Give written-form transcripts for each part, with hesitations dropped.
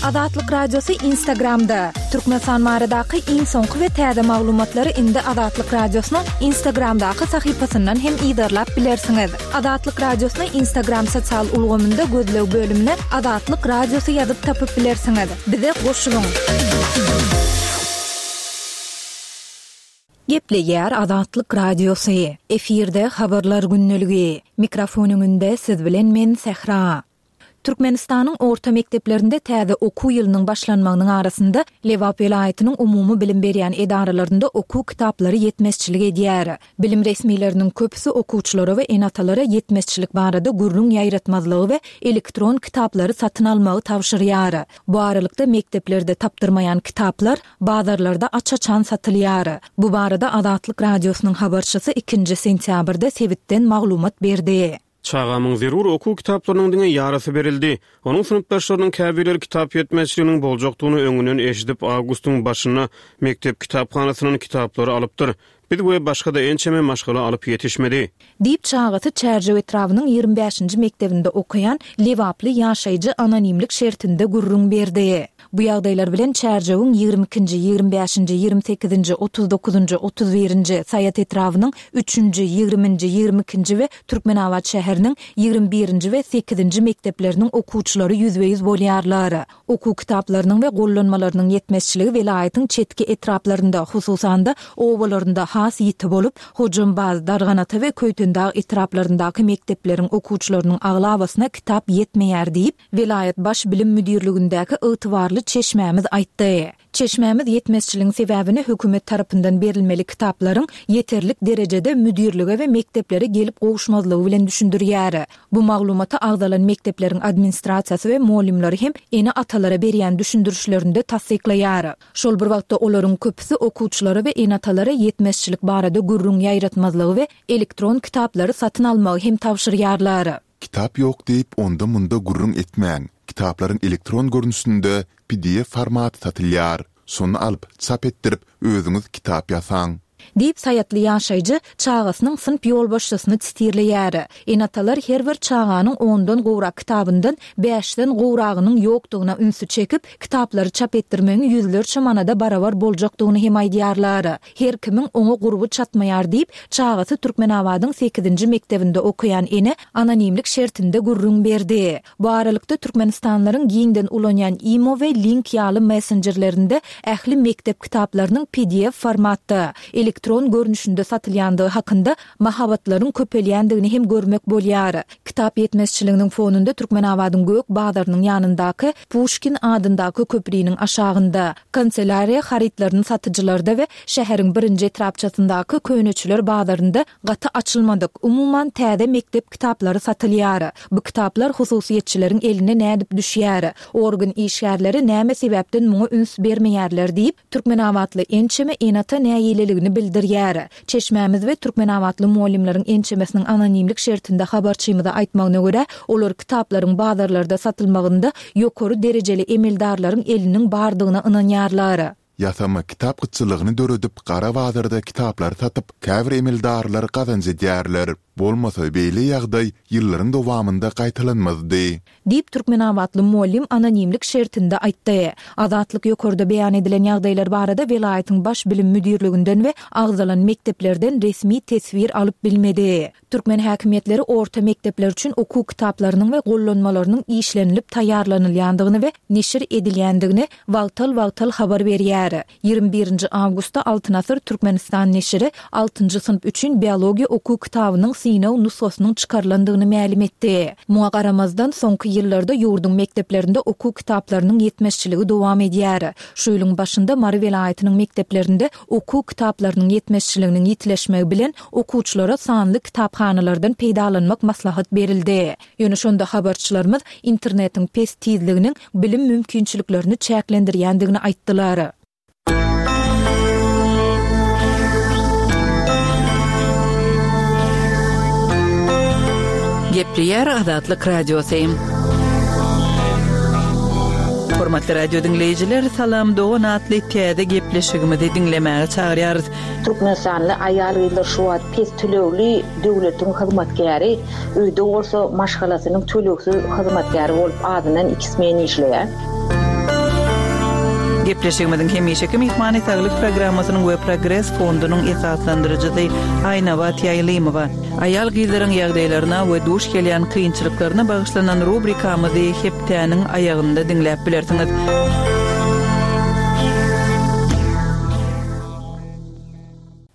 Azatlyk Radiosy Instagramda, Türkmenistan baradaky iň soňky we täze maglumatlary indi Azatlyk Radiosynyň Instagramdaky sahypasyndan hem yzarlap bilersiňiz. Azatlyk Radiosyny Instagram sosial ulgamynda gözleg bölümine Azatlyk Radiosy ýazyp tapyp bilersiňiz. Bize goşulyň! Gepleýär Azatlyk Radiosy. Efirde Habarlar gündeligi. Mikrofon öňünde siz bilen men Sähra. Türkmenistanyň orta mekdeplerinde täze okuw ýylynyň başlanmagynyň arasynda Lebap welaýatynyň umumy bilim berýän edaralarynda okuw kitaplary ýetmezçilik edýär. Bilim resmileriniň köpüsi okuwçylara we ene-atalara ýetmezçilik barada gürrüň ýaýratmazlygy we elektron kitaplary satyn almagy tabşyrýar. Bu aralykda mekdeplerde tapdyrmaýan kitaplar bazarlarda aç-açan satylýar. Bu barada Azatlyk Radiosynyň habarçysy ikinji sentýabrda sebitden maglumat berdi. Çagamyň zerur okuw kitaplarynyň diňe ýarysy berildi. Onuň synpdaşlarynyň käbirleri kitap ýetmezçiliginiň boljakdygyny öňünden eşidip, awgustyň başynda mekdep kitaphanasyndan kitaplary alypdyr. Biz we başga-da ençeme maşgala alyp ýetişmedi. Diýip, çagasy Çärjew etrabynyň 25-nji mekdebinde okaýan lebaply ýaşaýjy anonimlik şertinde gürrüň berdi. Bu ýagdaýlar bilen Çärjewiň 22-nji, 25-nji, 28-nji, 39-njy, 31-nji, Saýat etrabynyň üçünji, ýigriminji, 22-nji we Türkmenabat şäheriniň 21-nji we sekizinji mekdepleriniň okuwçylary ýüzbe-ýüz bolýarlar. Okuw kitaplarynyň we gollanmalarynyň ýetmezçiligi welaýatyň çetki etraplarynda, hususan-da, obalarynda has ýiti bolup, Hojambaz, Darganata we Köýtendag etraplaryndaky mekdepleriň okuwçylarynyň aglabasyna kitap ýetmeýär diýip, welaýat Baş bilim müdirligindäki ygtybarly çeşmämiz aýtdy. Çeşmämiz ýetmezçiligiň sebäbini hökümet tarapyndan berilmeli kitaplaryň ýeterlik derejede müdirlige we mekdeplere gelip gowuşmazlygy bilen düşündirýär. Bu maglumaty agzalan mekdepleriň administrasiýasy we mugallymlary hem ene-atalara berýän düşündirişlerinde tassyklaýar. Şol bir wagtda olaryň köpüsi okuwçylara we ene-atalara ýetmezçilik barada gürrüň ýaýratmazlygy we elektron kitaplary satyn almagy hem tabşyrýarlar. Kitap ýok diýip onda-munda gürrüň etmäň, kitaplaryň elektron görnüşinde pdf formaty satylýar. Şony alyp, çap etdirip, özüňiz kitap ýasaň. Diýip, saýatly ýaşaýjy çagasynyň synp ýolbaşçysyny sitirleýär. Ene-atalar her bir çaganyň ondan gowrak kitabyndan bäşden gowragynyň ýokdugyna ünsi çekip, kitaplary çap etdirmegiň ýüzlerçe manada barabar boljakdygyny hem aýdýarlar. Her kimiň oňa gurby çatmaýar diýip, çagasy Türkmenabadyň sekizinji mekdebinde okaýan ene anonimlik şertinde gürrüň berdi. Bu aralykda, türkmenistanlylaryň giňden ulanýan Imo we Link ýaly messenjerlerinde ähli mekdep kitaplarynyň pdf formatda, elektron görnüşinde satylýandygy hakynda mahabatlaryň köpelýändigini hem görmek bolýar. Kitap ýetmezçiliginiň fonunda Türkmenabadyň Gök bazarynyň ýanyndaky Puşkin adyndaky köpriniň aşagynda, kanselýariýa harytlaryny satyjylarda we şäheriň birinji etrapçasyndaky Köneçiler bazarynda gaty açylmadyk, umuman täze mekdep kitaplary satylýar. Bu kitaplar hususyýetçileriň eline nädip düşýär? Organ işgärleri näme sebäpden muňa üns bermeýärler diýip, türkmenabatly ençeme ene-ata nägileligini bildirýär. Çeşmämiz we türkmenabatly mugallymlaryň ençemesiniň anonimlik şertinde habarçymyza aýtmagyna görä, olar kitaplaryň bazarlarda satylmagynda ýokary derejeli emeldarlaryň eliniň bardygyna ynanýarlar. Ýasama kitap gytçylygyny döredip, gara bazarda kitaplary satyp, käbir emeldarlar gazanç edýärler. Bolmasa, beýle ýagdaý ýyllaryň dowamynda gaýtalanmazdy. Diýip, türkmenabatly mugallym anonimlik şertinde aýtdy. Azatlyk ýokarda beýan edilen ýagdaýlar barada welaýatyň Baş bilim müdirliginden we agzalan mekdeplerden resmi teswir alyp bilmedi. Türkmen häkimiýetleri orta mekdepler üçin okuw kitaplarynyň we gollanmalarynyň işlenilip taýýarlanylýandygyny we neşir edilýändigini wagtal-wagtal habar berýär. 21-nji awgustda Altyn asyr Türkmenistan neşiri altynjy synp üçin biologiýa okuw kitabynyň synag nusgasynyň çykarylandygyny mälim etdi. Muňa garamazdan, soňky ýyllarda ýurduň mekdeplerinde okuw kitaplarynyň ýetmezçiligi dowam edýär. Şu ýylyň başynda Mary welaýatynyň mekdeplerinde okuw kitaplarynyň ýetmezçiliginiň ýitileşmegi bilen, okuwçylara sanly kitaphanalardan peýdalanmak maslahat berildi. Ýöne şonda habarçylarymyz internetiň pes tizliginiň bilim mümkinçiliklerini çäklendirýändigini aýtdylar. Gepleýär Azatlyk Radiosy. Hormatly radio diňleýjiler, Salam dogan atly täze gepleşigimizi diňlemäge çagyrýarys. Türkmenistanly aýal-gyzlar şu wagt pes tölegli döwletiň hyzmatkäri, öýde bolsa maşgalasynyň tölegsiz hyzmatkäri bolup azyndan iki smen işleýär. Gepleşigimiziň hemişeki myhmany Saglyk programmasynyň we Progres fondunyň esaslandyryjysy Aýnabat Ýaýlymowa. Aýal-gyzlaryň ýagdaýlaryna we duş gelýän kynçylyklaryna bagyşlanan rubrikamyzy hepdäniň aýagynda diňläp bilersiňiz.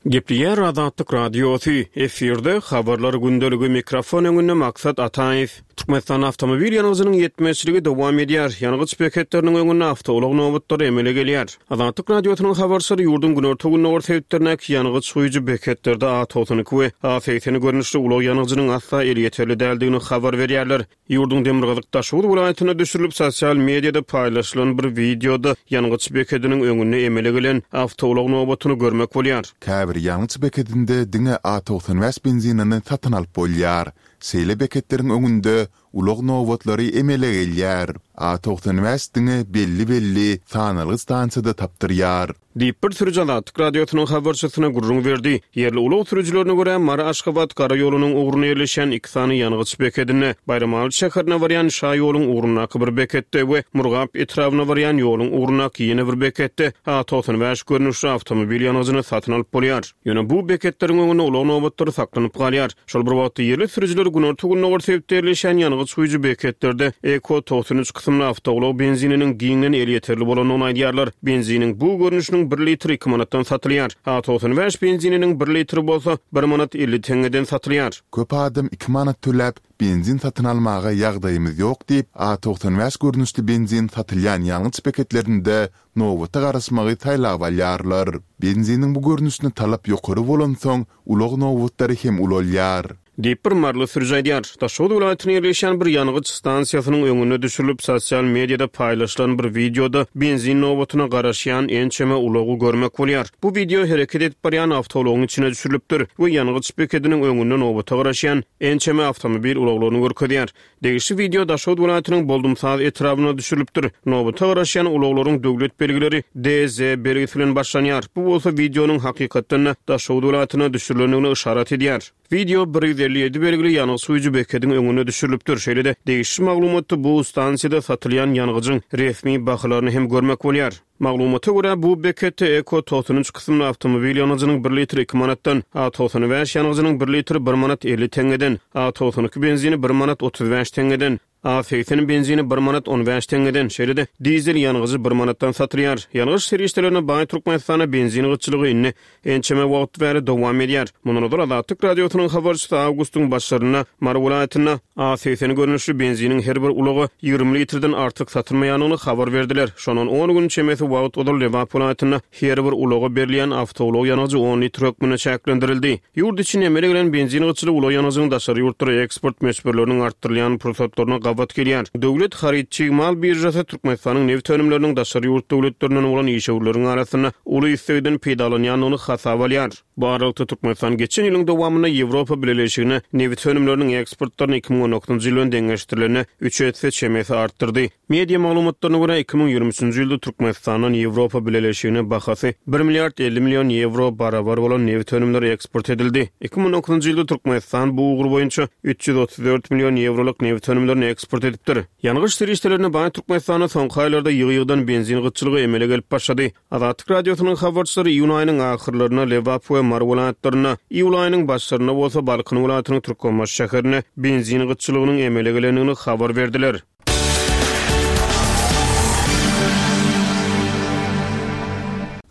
Gepleýär Azatlyk Radiosy, efirde Habarlar gündeligi, mikrofon öňünde Maksat Ataýew. Türkmenistanda awtomobil ýangyjynyň ýetmezçiligi dowam edýär, ýangyç beketleriniň öňünde awtoulag nobatlary emele gelýär. Azatlyk Radiosynyň habarçylary ýurduň günorta-gündogar sebitlerindäki ýangyç guýujy beketlerde A 92 we A 80 görnüşli ulag ýangyjynyň asla elýeterli däldigini habar berýärler. Ýurduň demirgazyk Daşoguz welaýatynda düşürilip, sosial mediada paýlaşylan bir wideoda ýangyç bekediniň öňünde emele gelen awtoulag nobatyny görmek bolýar. Käbir ýangyç bekedinde diňe A 95 benzinini satyn alyp bolýar. Şeýle beketleriň öňünde ulag nobatlary emele gelýär. A 95 diňe belli-belli sanalgy stansiýada tapdyrýar. Diýip, bir sürüji Azatlyk Radiosynyň habarçysyna gürrüň berdi. Ýerli ulag sürüjilerine görä, Mary-Aşgabat gara ýolunyň ugrunda ýerleşýän iki sany ýangyç bekedinde, Baýramaly şäherine barýan şaýoluň ugrundaky bir beketde we Murgap etrabyna barýan ýoluň ugrundaky ýene bir beketde A 95 görnüşli awtomobil ýangyjyny satyn alyp bolýar. Ýöne bu beketleriň öňünde ulag nobatlary saklanyp galýar. Şol bir wagtda, ýerli sürüjiler günorta-gündogar sebitde ýerleşýän ýangyç guýujy beketlerde Eko 93 kysymly awtoulag benzininiň giňden elýeterli bolandygyny aýdýarlar. Benziniň bu görnüşiniň bir litri iki manatdan satylýar. A 95 benzininiň bir litri bolsa, bir manat 50 teňňeden satylýar. Köp adam iki manat töläp, benzin satyn almaga ýagdaýymyz ýok diýip, A 95 görnüşli benzin satylýan ýangyç beketlerinde nobata garaşmagy saýlap alýarlar. Benziniň bu görnüşine talap ýokary bolansoň, ulag nobatlary hem ulalýar. Diýip, bir maryly sürüji aýdýar. Daşoguz welaýatynda ýerleşýän bir ýangyç stansiýasynyň öňünde düşürilip, sosial mediada paýlaşylan bir wideoda benzin nobatyna garaşýan ençeme ulagy görmek bolýar. Bu wideo hereket edip barýan awtoulagyň içine düşürilipdir we ýangyç bekediniň öňünde nobata garaşýan ençeme awtomobil ulaglaryny görkezýär. Degişli wideo Daşoguz welaýatynyň Boldumsaz etrabynda düşürilipdir. Nobata garaşýan ulaglaryň döwlet belgileri DZ belgisi bilen başlanýar. Bu bolsa wideonyň hakykatdan-da Daşoguz welaýatynda düşürilendigine yşarat edýär. Wideo 157 belgili ýangyç guýujy bekediň öňünde düşürilipdir. Şeýle-de, degişli maglumatda bu stansiýada satylýan ýangyjyň resmi bahalaryny hem görmek bolýar. Maglumata görä, bu beketde Eko 93 kysymly awtomobil ýangyjynyň bir litri iki manatdan, A 95 ýangyjynyň bir litri bir manat 50 teňňeden, A 92 benzini bir manat 35 teňňeden, A 80 benzini bir manat 15 teňňeden, şeýle-de dizel ýangyjy bir manatdan satylýar. Ýangyç serişdelerine baý Türkmenistanda benzin gytçylygy indi ençeme wagt bäri dowam edýär. Mundan ozal Azatlyk Radiosynyň habarçysy awgustyň başlarynda Mary welaýatynda A 80 görnüşli benziniň her bir ulaga 20 litrden artyk satylmaýandygyny habar berdiler. Şondan on gün çemesi wagt ozal Lebap welaýatynda her bir ulaga berilýän awtoulag ýangyjy on litr hökmünde çäklendirildi. Ýurt içinde emele gelen benzin gytçylygy ulag ýangyjynyň daşary ýurtlara eksport möçberleriniň artdyrylýan pursatlaryna gabat gelýär. Döwlet haryt-çig mal biržasy Türkmenistanyň nebit önümleriniň daşary ýurt döwletlerinden bolan işewürleriň arasynda uly islegden peýdalanýandygyny hasaba alýar. Bu aralykda, Türkmenistan geçen ýylyň dowamynda Ýewropa Bileleşigine nebit önümleriniň eksportlaryny 2019-njy ýyl bilen deňeşdirilende üç esse çemesi artdyrdy. Media maglumatlaryna görä, 2023-nji ýylda Türkmenistandan Ýewropa Bileleşigine bahasy bir milliard 50 million ýewro barabar bolan nebit önümleri eksport edildi. 2019-njy ýylda Türkmenistan bu ugur boýunça 334 million ýewrolyk nebit önümlerini eksport edipdir. Ýangyç serişdelerine baý Türkmenistanda soňky aýlarda ýygy-ýygydan benzin gytçylygy emele gelip başlady. Azatlyk Radiosynyň habarçylary iýun aýynyň ahyrlarynda Lebap we Mary welaýatlarynda, iýul aýynyň başlarynda bolsa Balkan welaýatynyň Türkmenbaşy şäherinde benzin gytçylygynyň emele gelendigini habar berdiler.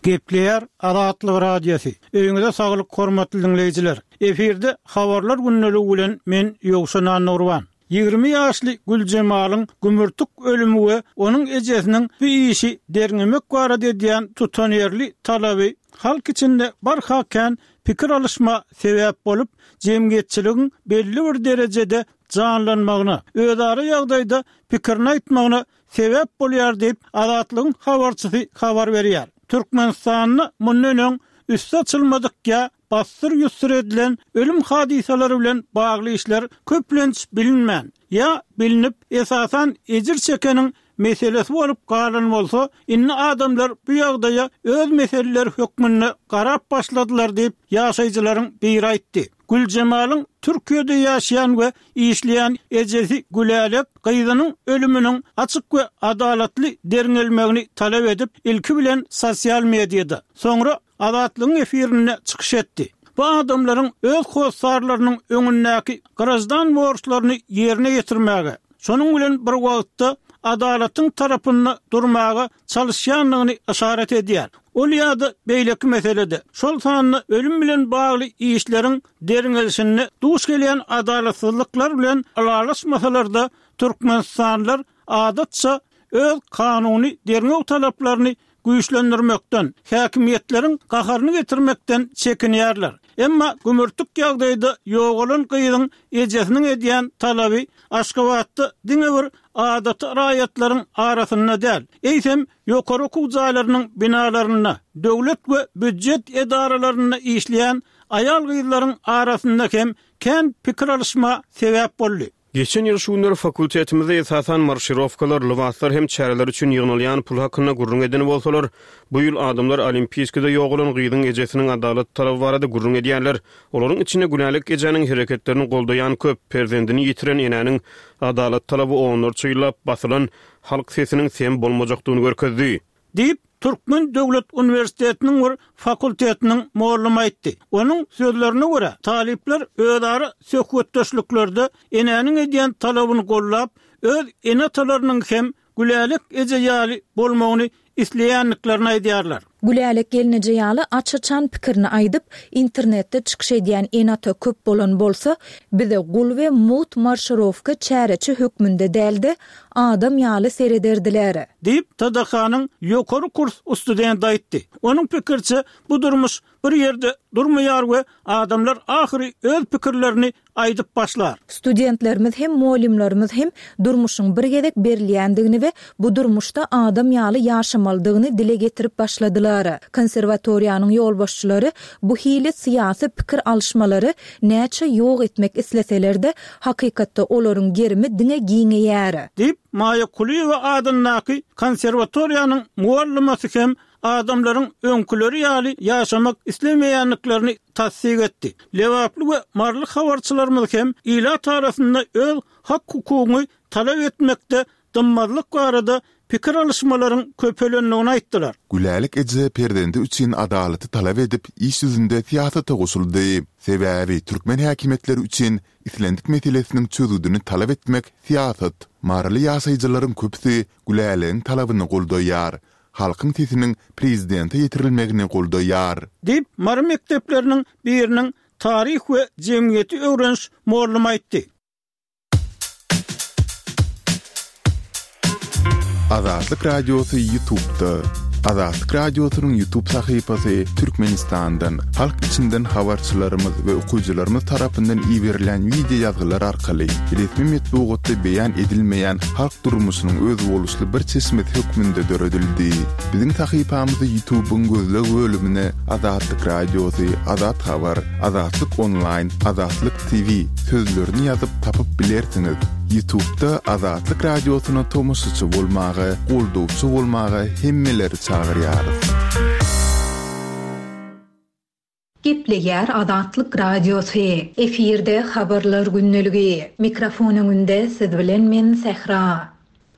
Gepleýär Azatlyk Radiosy. Öýüňize saglyk hormatly diňleýjiler. Efirde Habarlar gündeligi bilen men Ýowşan Annagurban. 20 ýaşly Güljemalyň gümürtik ölümi we onuň ejesiniň bu işi derňemek barada edýän tutanýerli talaby halk içinde barha kän pikir alyşma sebäp bolup, jemgyýetçiligiň belli bir derejede janlanmagyna, özara ýagdaýda pikirini aýtmagyna sebäp bolýar diýip, Azatlygyň habarçysy habar berýär. Türkmenistanda mundan öň üsti açylmadyk ýa bassyr-ýussur edilen ölüm hadysalary bilen bagly işler köplenç bilinmän, ýa bilnip, esasan ejir çekeniň meselesi bolup galan bolsa, indi adamlar bu ýagdaýa öz meseleleri hökmünde garap başladylar diýip, ýaşaýjylaryň biri aýtdy. Güljemalyň Türkiýede ýaşaýan we işleýän ejesi Gülälek gyzynyň ölüminiň açyk we adalatly derňelmegini talap edip, ilki bilen sosial mediada, soňra Azatlygyň efirinde çykyş etdi. Bu adamlaryň öz hossarlarynyň öňündäki graždan borçlaryny ýerine ýetirmäge, şonuň bilen bir wagtda adalatyň tarapynda durmaga çalyşýandygyny yşarat edýär. Ol ýa-da beýleki meselede, şol sanda ölüm bilen bagly işleriň derňelişinde duş gelýän adalatsyzlyklar bilen ylalaşmasalar-da, türkmenistanlylar adatça öz kanuny derňew talaplaryny güýçlendirmekden, häkimiýetleriň gaharyny getirmekden çekinýärler. Emma gümürtik ýagdaýda ýogalan gyzyň ejesiniň edýän talaby Aşgabatda diňe bir adaty raýatlaryň arasynda däl, eýsem, ýokary okuw jaýlarynyň binalarynda, döwlet we býujet edaralarynda işleýän aýal-gyzlaryň arasynda hem kän pikir alyşma sebäp boldy. Geçen ýyl şu günler fakultetimizde esasan marşirowkalar, lybaslar hem çäreler üçin ýygnalýan pul hakynda gürrüň eden bolsalar, bu ýyl adamlar Olimpiýskide ýogalan gyzyň ejesiniň adalat talaby barada gürrüň edýärler. Olaryň içinde Gülälek ejäniň hereketlerini goldaýan köp, perzendini ýitiren enäniň adalat talaby onlarça ýyllap basylan halk sesiniň sem bolmajakdygyny görkezdi. Diýip, Türkmen döwlet uniwersitetiniň bir fakultetiniň mollamy aýtdy. Onuň sözlerine görä, talyplar özara söhbetdeşliklerde enäniň edýän talabyny goldap, öz ene-atalarynyň hem Gülälek eje ýaly bolmagyny isleýändiklerini aýdýarlar. Gülälek gelneje ýaly aç-açan pikirini aýdyp, internetde çykyş edýän ene-ata köp bolan bolsa, bize gul we mugt marşirowka çäreçi hökmünde däl-de, adam ýaly serederdiler. Diýip, TDH-nyň ýokary kurs studenti aýtdy. Onuň pikiriçe, bu durmuş bir ýerde durmaýar we adamlar ahyry öz pikirlerini aýdyp başlar. Studentlerimiz hem, mugallymlarymyz hem durmuşyň bir gezek berilýändigini we bu durmuşda adam ýaly ýaşamalydygyny dile getirip başladylar. Konserwatoriýanyň ýolbaşçylary bu hili syýasy pikir alyşmalary näçe ýok etmek isleseler-de, hakykatda olaryň gerimi diňe giňeýär. Diýip, Maýa Kulyýewa adyndaky konserwatoriýanyň mugallymasy hem adamlaryň öňküleri ýaly ýaşamak islemeýändiklerini tassyk etdi. Lebaply we maryly habarçylarymyz hem ilat arasynda öz hak-hukugyňy talap etmekde dymmazlyk barada pikir alyşmalaryň köpelendigini aýtdylar. Gülälek eje perzendi üçin adalaty talap edip, iş ýüzünde syýasata goşuldy. Sebäbi türkmen häkimiýetleri üçin islendik meselesiniň çözgüdini talap etmek syýasat. Maryly ýaşaýjylaryň köpüsi Gülälegiň talabyny goldaýar. Halkyň sesiniň prezidente ýetirilmegini goldaýar. Diýip, Mary mekdepleriniň biriniň taryh we jemgyýeti öwreniş mollumy aýtdy. Azatlyk Radiosy Ýutubda. Azatlyk Radiosynyň Ýutub sahypasy Türkmenistandan, halk içinden habarçylarymyz we okyjylarymyz tarapyndan iberilen wideo ýazgylar arkaly resmi metbugatda beýan edilmeýän halk durmuşynyň özboluşly bir çeşmesi hökmünde döredildi. Biziň sahypamyzy Ýutubyň gözleg bölümine Azatlyk Radiosy, Azat Habar, Azatlyk Onlaýn, Azatlyk TV sözlerini ýazyp tapyp bilersiňiz. Ýutubda Azatlyk Radiosyna tomaşaçy bolmaga, goldawçy bolmaga hemmeleri çagyrýarys. Gepleýär Azatlyk Radiosy. Efirde Habarlar gündeligi. Mikrofon öňünde siz bilen men Sähra.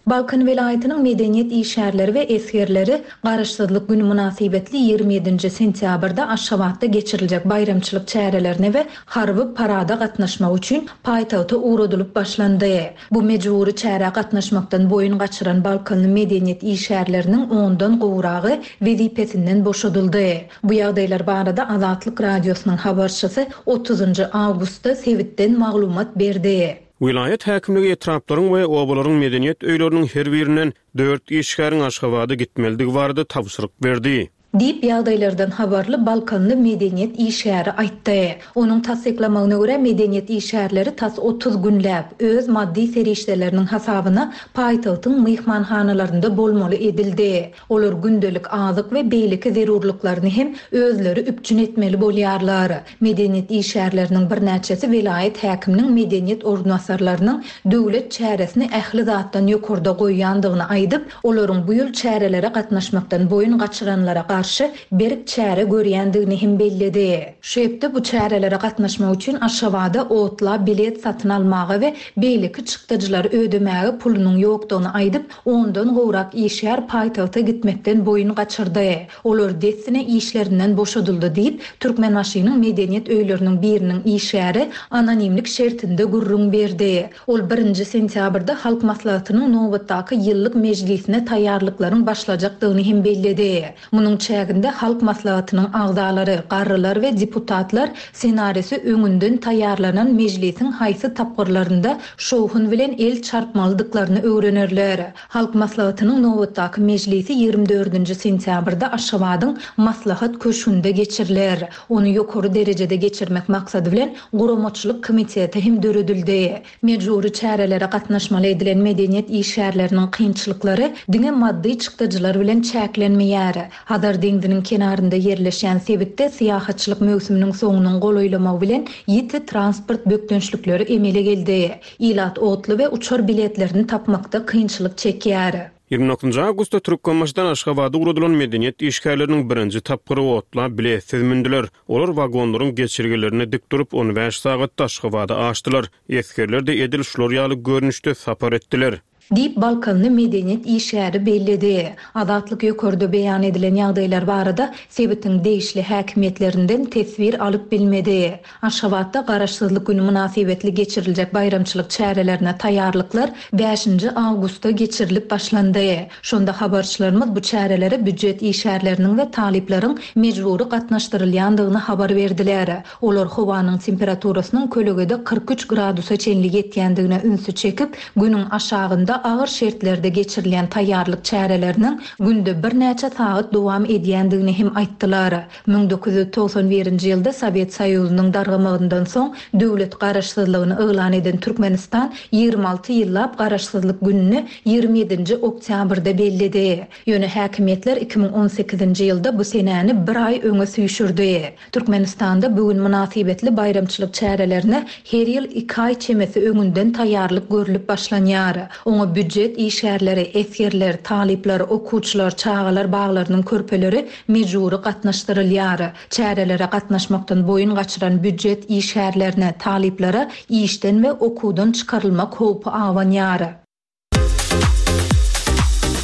Balkan welaýatynyň medeniýet işgärleri we esgerleri Garaşsyzlyk güni mynasybetli 27-nji sentýabrda Aşgabatda geçiriljek baýramçylyk çärelerine we harby parada gatnaşmak üçin paýtagta ugradylyp başlandy. Bu mejbury çärä gatnaşmakdan boýun gaçyran balkanly medeniýet işgärleriniň ondan gowragy wezipesinden boşadyldy. Bu ýagdaýlar barada Azatlyk Radiosynyň habarçysy otuzynjy awgustda sebitden maglumat berdi. Welaýat häkimligi etraplaryň we obalaryň medeniýet öýleriniň her birinden dört işgäriň Aşgabada gitmelidigi barada tabşyryk berdi. Diýip, ýagdaýlardan habarly balkanly medeniýet işgäri aýtdy. Onuň tassyklamagyna görä, medeniýet işgärleri tas 30 günläp, öz maddy serişdeleriniň hasabyna paýtagtyň myhmanhanalarynda bolmaly edildi. Olar gündelik azyk we beýleki zerurlyklaryny hem özleri üpjün etmeli bolýarlar. Medeniýet işgärleriniň birnäçesi welaýat häkiminiň medeniýet orunbasarlarynyň döwlet çäresini ähli zatdan ýokarda goýýandygyny aýdyp, olaryň bu ýyl çärelere gatnaşmakdan boýun gaçyranlara garşy berk çäre görýändigini hem belledi. Şu hepde bu çärelere gatnaşmak üçin Aşgabada otla bilet satyn almaga we beýleki çykdajylary ödemäge pulunyň ýokdugyny aýdyp, ondan gowrak işgär paýtagta gitmekden boýun gaçyrdy. Olar dessine işlerinden boşadyldy diýip, Türkmenbaşynyň medeniýet öýleriniň biriniň işgäri anonimlik şertinde gürrüň berdi. Ol birinji sentýabrda Halk Maslahatynyň nobatdaky ýyllyk mejlisine taýýarlyklaryň başlajakdygyny hem belledi. Munuň çäginde Halk Maslahatynyň agzalary, garrylar we deputatlar ssenarisi öňünden taýýarlanan mejlisiň haýsy tapgyrlarynda şowhun bilen el çarpmalydyklaryny öwrenerler. Halk Maslahatynyň nobatdaky mejlisi 24-nji sentýabrda Aşgabadyň Maslahat köşgünde geçiriler. Ony ýokary derejede geçirmek maksady bilen guramaçylyk komiteti hem döredildi. Mejbury çärelere gatnaşmaly edilen medeniýet işgärleriniň kynçylyklary diňe maddy çykdajylar bilen çäklenmeýär. Hazar deňziniň kenarynda ýerleşýän sebitde syýahatçylyk möwsüminiň soňunyň golaýlamagy bilen ýiti transport bökdençlikleri emele geldi. Ilat otly we uçar biletlerini tapmakda kynçylyk çekýär. 29 awgustda Türkmenbaşydan Aşgabada ugradylan medeniýet işgärleriniň birinji tapgyry otla biletsiz mündüler. Olar wagonlaryň geçelgelerinde dik durup, on bäş sagatda Aşgabada aşdylar. Esgerler-de edil şular ýaly görnüşde sapar etdiler. Diýip, balkanly medeniýet işgäri belledi. Azatlyk ýokarda beýan edilen ýagdaýlar barada sebitiň degişli häkimiýetlerinden teswir alyp bilmedi. Aşgabatda Garaşsyzlyk güni mynasybetli geçiriljek baýramçylyk çärelerine taýýarlyklar bäşinji awgustda geçirilip başlandy. Şonda habarçylarymyz bu çärelere býujet işgärleriniň we talyplaryň mejbury gatnaşdyrylýandygyny habar berdiler. Olar howanyň temperaturasynyň kölegede 43 gradusa çenli ýetýändigine ünsi çekip, günüň aşagynda agyr şertlerde geçirilýän taýýarlyk çäreleriniň günde birnäçe sagat dowam edýändigini hem aýtdylar. 1991-nji ýylda Sowet Soýuzynyň dargamagyndan soň döwlet garaşsyzlygyny yglan eden Türkmenistan 26 ýyllap Garaşsyzlyk gününi 27-nji oktýabrda belledi. Ýöne häkimiýetler 2018-nji ýylda bu senäni bir aý öňe süýşürdi. Türkmenistanda bu gün mynasybetli baýramçylyk çärelerine her ýyl iki aý çemesi öňünden taýýarlyk görlüp başlanýar. Oňa býujet işgärleri, esgerler, talyplar, okuwçylar, çagalar baglarynyň körpeleri mejbury gatnaşdyrylýar. Çärelere gatnaşmakdan boýun gaçyran býujet işgärlerine, talyplara işden we okuwdan çykarylmak howpy abanýar.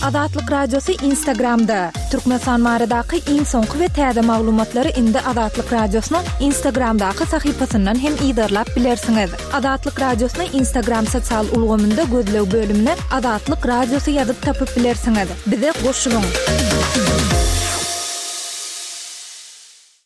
Azatlyk Radiosy Instagramda, Türkmenistan baradaky iň soňky we täze maglumatlary indi Azatlyk Radiosynyň Instagramdaky sahypasyndan hem yzarlap bilersiňiz. Azatlyk Radiosyny Instagram sosial ulgamynda gözleg bölümine Azatlyk Radiosy ýazyp tapyp bilersiňiz. Bize goşulyň!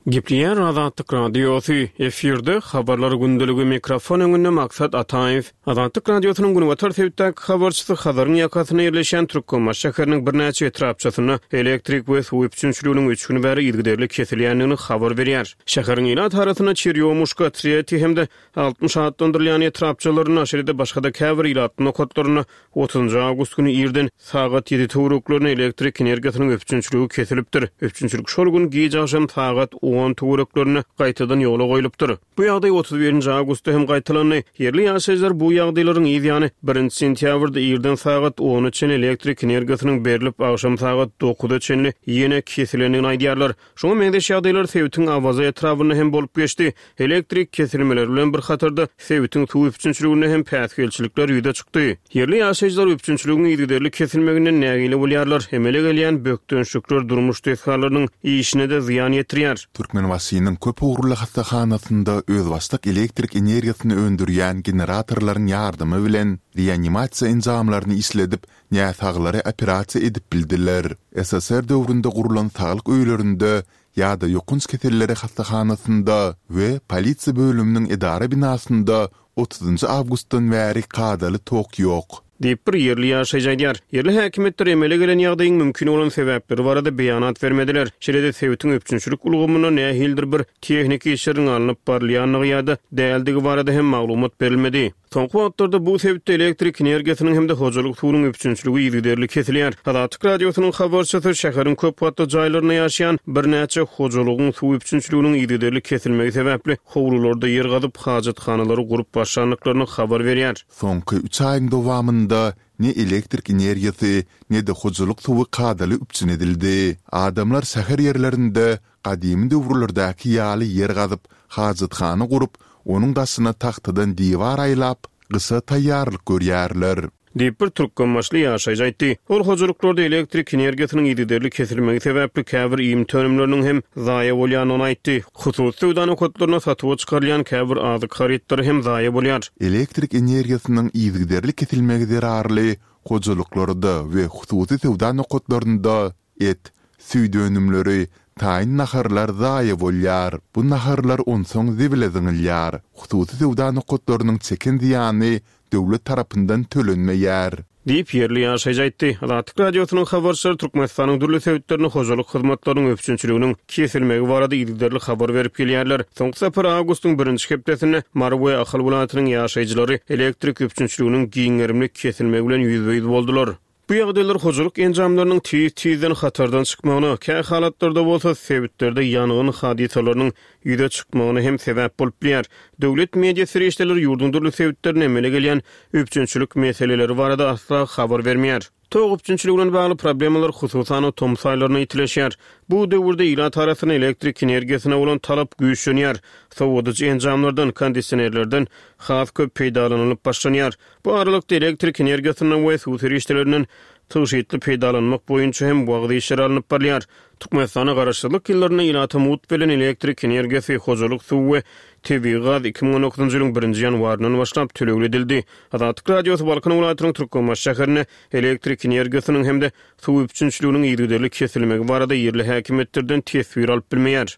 Gepleýär Azatlyk Radiosy, efirde Habarlar gündeligi, mikrofon öňünde Maksat Ataýew. Azatlyk Radiosynyň günbatar sebitdäki habarçysy Hazaryň ýakasynda ýerleşýän Türkmenbaşy şäheriniň birnäçe etrapçasynda elektrik we suw üpjünçiliginiň üç gün bäri yzygiderli kesilýändigini habar berýär. Şäheriň ilat arasynda Çerýomuşka, Treti hem-de 60 atlandyrylýan etrapçalarynda, şeýle-de başga-da käbir ilatly nokatlarynda Otuzynjy awgust güni irden sagat ýedi töwereklerinde elektrik energiýasynyň üpjünçiligi kesilipdir. Üpjünçilik şol gün gij agşam sagat on töwereklerinde gaýtadan ýola goýlupdyr. Bu ýagdaý 31 nji awgustda hem gaýtalandy. Ýerli ýaşaýjylar bu ýagdaýlaryň yz ýany, birinji sentýabrda irden sagat ona çenli elektrik energiýasynyň berlip, agşam sagat dokuza çenli ýene kesilendigini aýdýarlar. Şuňa meňzeş ýagdaýlar sebitiň Awaza etrabynda hem bolup geçdi. Elektrik kesilmeleri bilen bir hatarda, sebitiň suw üpjünçiliginde hem päsgelçilikler ýüze çykdy. Ýerli ýaşaýjylar üpjünçiligiň yzygiderli kesilmeginden nägile bolýarlar. Emele gelýän bökdençlikler durmuş desgalarynyň işine-de zyýan ýetirýär. Türkmenbaşynyň köp ugurly hassahanasynda özbaşdak elektrik energiýasyny öndürýän generatorlaryň ýardamy bilen reanimasiýa enjamlaryny işledip, näsaglary operasiýa edip bildiler. Ssr döwründe gurlan saglyk öýlerinde ýa-da ýokanç keselleri hassahanasynda we polisiýa bölüminiň edara binasynda otuzynjy awgustdan bäri kadaly tok ýok. Diýip, bir ýerli ýaşaýjy aýdýar. Ýerli häkimiýetler emele gelen ýagdaýyň mümkin bolan sebäpleri barada beýanat bermediler. Şeýle-de sebitiň üpjünçilik ulgamynda nähilidir bir tehniki işleriň alnyp barylýandygy ýa-da däldigi barada hem maglumat berilmedi. Soňky wagtlarda bu sebitde elektrik energiýasynyň hem-de hojalyk suwunyň üpjünçiligi yzygiderli kesilýär. Azatlyk Radiosynyň habarçysy şäheriň köp gatly jaýlarynda ýaşaýan birnäçe hojalygyň suw üpjünçiliginiň yzygiderli kesilmegi sebäpli howlularda ýer gazyp, hajathanalary gurup başlandyklaryny habar berýär. Soňky üç aýyň dowamynda ne elektrik energiýasy, ne-de hojalyk suwy kadaly üpjün edildi. Adamlar şäher ýerlerinde gadymy döwürlerdäki ýaly ýer gazyp, hajathana gurup, onuň daşyna tagtadan diwar aýlap, gyşa taýýarlyk görýärler. Diýip, bir türkmenbaşyly ýaşaýjy aýtdy. Ol hojalyklarda elektrik energiýasynyň yzygiderli kesilmegi sebäpli käbir iýmit önümleriniň hem zaýa bolýandygyny aýtdy. Hususy söwda nokatlarynda satuwa çykarylýan käbir azyk harytlary hem zaýa bolýar. Elektrik energiýasynyň yzygiderli kesilmegi zerarly hojalyklarda we hususy söwda nokatlarynda et, süýt önümleri, taýyn naharlar zaýa bolýar. Bu naharlar onsoň zibile zyňylýar. Hususy söwda nokatlarynyň çeken zyýany döwlet tarapyndan tölenmeýär. Diýip, ýerli ýaşaýjy aýtdy. Azatlyk Radiosynyň habarçylary Türkmenistanyň dürli sebitlerinde hojalyk hyzmatlarynyň üpjünçiliginiň kesilmegi barada yzygiderli habar berip gelýärler. Soňky sapar awgustyň birinji hepdesinde Mary we Ahal welaýatynyň ýaşaýjylary elektrik üpjünçiliginiň giň gerimli kesilmegi bilen ýüzbe-ýüz boldular. Bu ýagdaýlar hojalyk enjamlarynyň tiz-tizden hatardan çykmagyna, kähalatlarda bolsa sebitlerde ýangyn hadysalarynyň ýüze çykmagyna hem sebäp bolup bilýär. Döwlet media serişdeleri ýurduň dürli sebitlerinde emele gelýän üpjünçilik meseleleri barada asla habar bermeýär. Tok üpjünçiligi bilen bagly problemalar hususan-da tomus aýlarynda ýitileşýär. Bu döwürde ilat arasynda elektrik energiýasyna bolan talap güýçlenýär, sowadyjy enjamlardan, kondisionerlerden has köp peýdalanylyp başlanýar. Bu aralykda elektrik energiýasyndan we suw serişdelerinden tygşytly peýdalanmak boýunça hem wagyz işleri alnyp barylýar. Türkmenistanda Garaşsyzlyk ýyllarynda ilata mugt berlen elektrik energiýasy, hojalyk suwy we tebigy gaz 2019-njy ýylyň birinji ýanwaryndan başlap tölegli edildi. Azatlyk Radiosy Balkan welaýatynyň Türkmenbaşy şäherinde elektrik energiýasynyň hem-de suw üpjünçiliginiň yzygiderli kesilmegi barada ýerli häkimiýetlerden teswir alyp bilmeýär.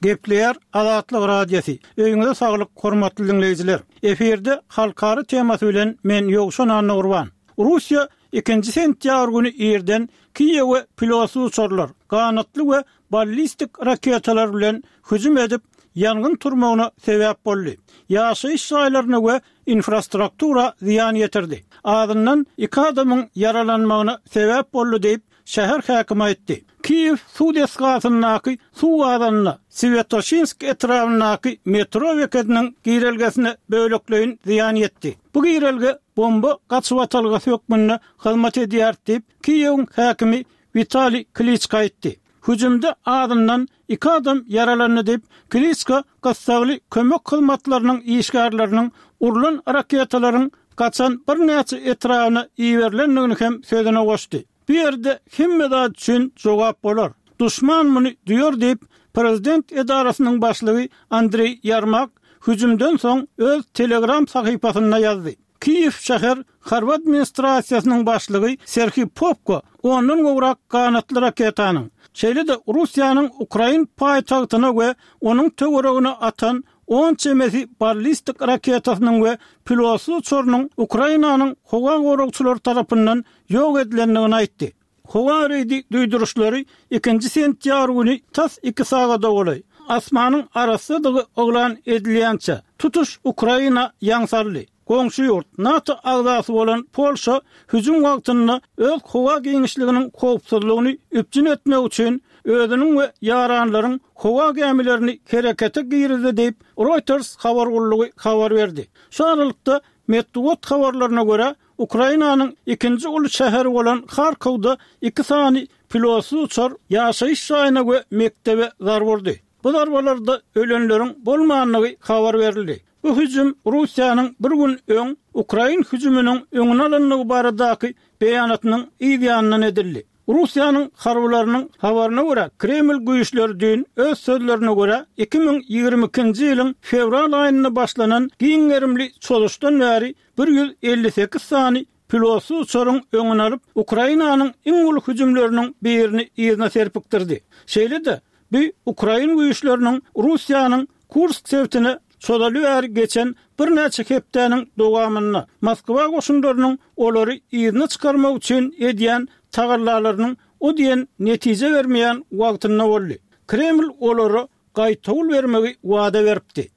Gepleýär Azatlyk Radiosy. Öýüňize saglyk hormatly diňleýjiler. Efirde halkara temasy bilen men Ýowşan Annagurban. Russiýa ikinji sentýabr güni irden Kiýewe pilotsyz uçarlar, ganatly we ballistik raketalar bilen hüjüm edip, ýangyn turmagyna sebäp boldy. Ýaşaýyş jaýlaryna we infrastruktura zyýan ýetirdi. Azyndan iki adamyň ýaralanmagyna sebäp boldy diýip, şäher häkimi aýtdy. Kiýew suw desgasyndaky suw gazanyna, Swýatoşinsk etrabyndaky metro bekediniň girelgesine bölekleýin zyýan ýetdi. Bu girelge bomba gaçybatalgasy hökmünde hyzmat edýär diýip, Kiýewiň häkimi Witaliý Kliçko aýtdy. Hüjümde azyndan iki adam ýaralandy diýip, Kliçko gyssagly kömek hyzmatlarynyň işgärleriniň urlan raketalaryň gaçan birnäçe etrabyna iberilendigini hem sözüne goşdy. Bu ýerde hemme zat üçin jogap bolar. Duşman muny duýar diýip, prezident edarasynyň başlygy Andreý Ýermak hüjümden soň öz Telegram sahypasynda ýazdy. Kiýew şäher harby administrasiýasynyň başlygy Serhiý Popko ondan gowrak ganatly raketanyň, şeýle-de Russiýanyň ukrain paýtagtyna we onuň töweregine atan on çemesi ballistik raketasynyň we pilotsyz uçarynyň Ukrainanyň howa goragçylary tarapyndan ýok edilendigini aýtdy. Howa reýdi duýduryşlary ikinji sentýabr güni tas iki sagada golaý, asmanyň arassadygy yglan edilýänçä, tutuş Ukraina ýaň saldy. Goňşy ýurt, NATO agzasy bolan Polşa hüjüm wagtynda öz howa giňişliginiň howpsuzlygyny üpjün etmek üçin özüniň we ýaranlaryň howa gämilerini herekete girizdi diýip, Reuters habar gullugy habar berdi. Şu aralykda, metbugat habarlaryna görä, Ukrainanyň ikinji uly şäheri bolan Harkowda iki sany pilotsyz uçar ýaşaýyş jaýyna we mekdebe zarba urdy. Bu zarbalarda ölenleriň bolmandygy habar berildi. Bu hüjüm Russiýanyň bir gün öň ukrain hüjüminiň öňüni alandygy baradaky beýanatynyň yz ýanyndan edildi. Russiýanyň harbylarynyň habaryna görä, Kreml güýçleri düýn, öz sözlerine görä, 2022-nji ýylyň fewral aýynda başlanan giň gerimli çozuşdan bäri 158 sany pilotsyz uçaryň öňüni alyp, Ukrainanyň iň uly hüjümleriniň birini yzyna serpikdirdi. Şeýle-de, bu ukrain güýçleriniň Russiýanyň Kursk sebitine. çozaly bäri geçen birnäçe hepdäniň dowamynda Moskwa goşunlarynyň olary yzyna çykarmak üçin edýän tagallalarynyň o diýen netije bermeýän wagtynda boldy. Kreml olara gaýtawul bermegi wada beripdi.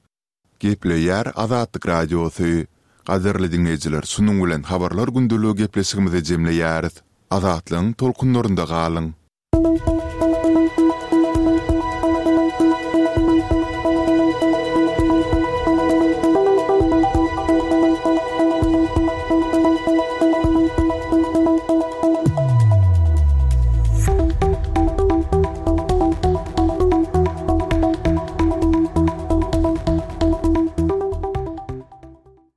Gepleýär Azatlyk Radiosy. Gadyrly diňleýjiler şunuň bilen Habarlar gündeligi gepleşigimizi jemleýäris. Azatlygyň tolkunlarynda galyň!